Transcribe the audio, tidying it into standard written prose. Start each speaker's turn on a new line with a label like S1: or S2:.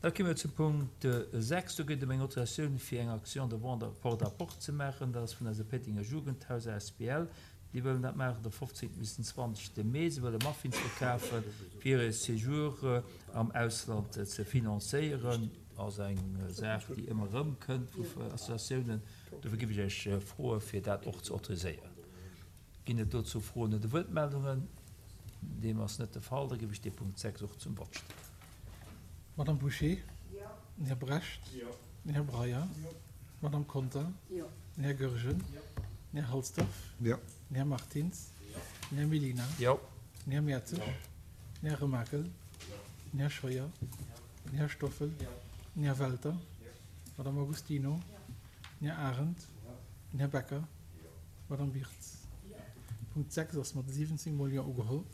S1: Da komme mir zum Punkt 6. Do geet et ëm eng Autorisatioun fir eng Action de vente porte à porte ze maachen. Dat ass vun eiser Péitenger Jugendhaus asbl. Déi wëllen dat maachen de 15. bis den 20. Mee. Se wëlle Muffins verkafen, fir hire Séjour am Ausland ze financéieren. Ass eng Saach, déi ëmmer erëm kënnt vu Associatiounen. Dofir géif ech Iech froe fir dat och ze autoriséieren. Ginn et dozou Froen oder Wuertmeldungen? Deem ass net de Fall. Da géif ech dee Punkt 6 och zum Vott stellen.
S2: Madame Bouché? Den Här Brecht? Den Här Breyer? D'Madame Conter? Den Här Goergen? Den Här Halsdorf? Den Här Martins? Den Här Mellina? Den Här Mertzig? Den Här Remakel? Den Här Scheuer? Den Här Stoffel? Den Här Welter? D'Madame Agostino? Den Här Arendt? Den Här Becker? D'Madame Wirtz. Punkt 6 ass mat 17 mol Jo ugeholl.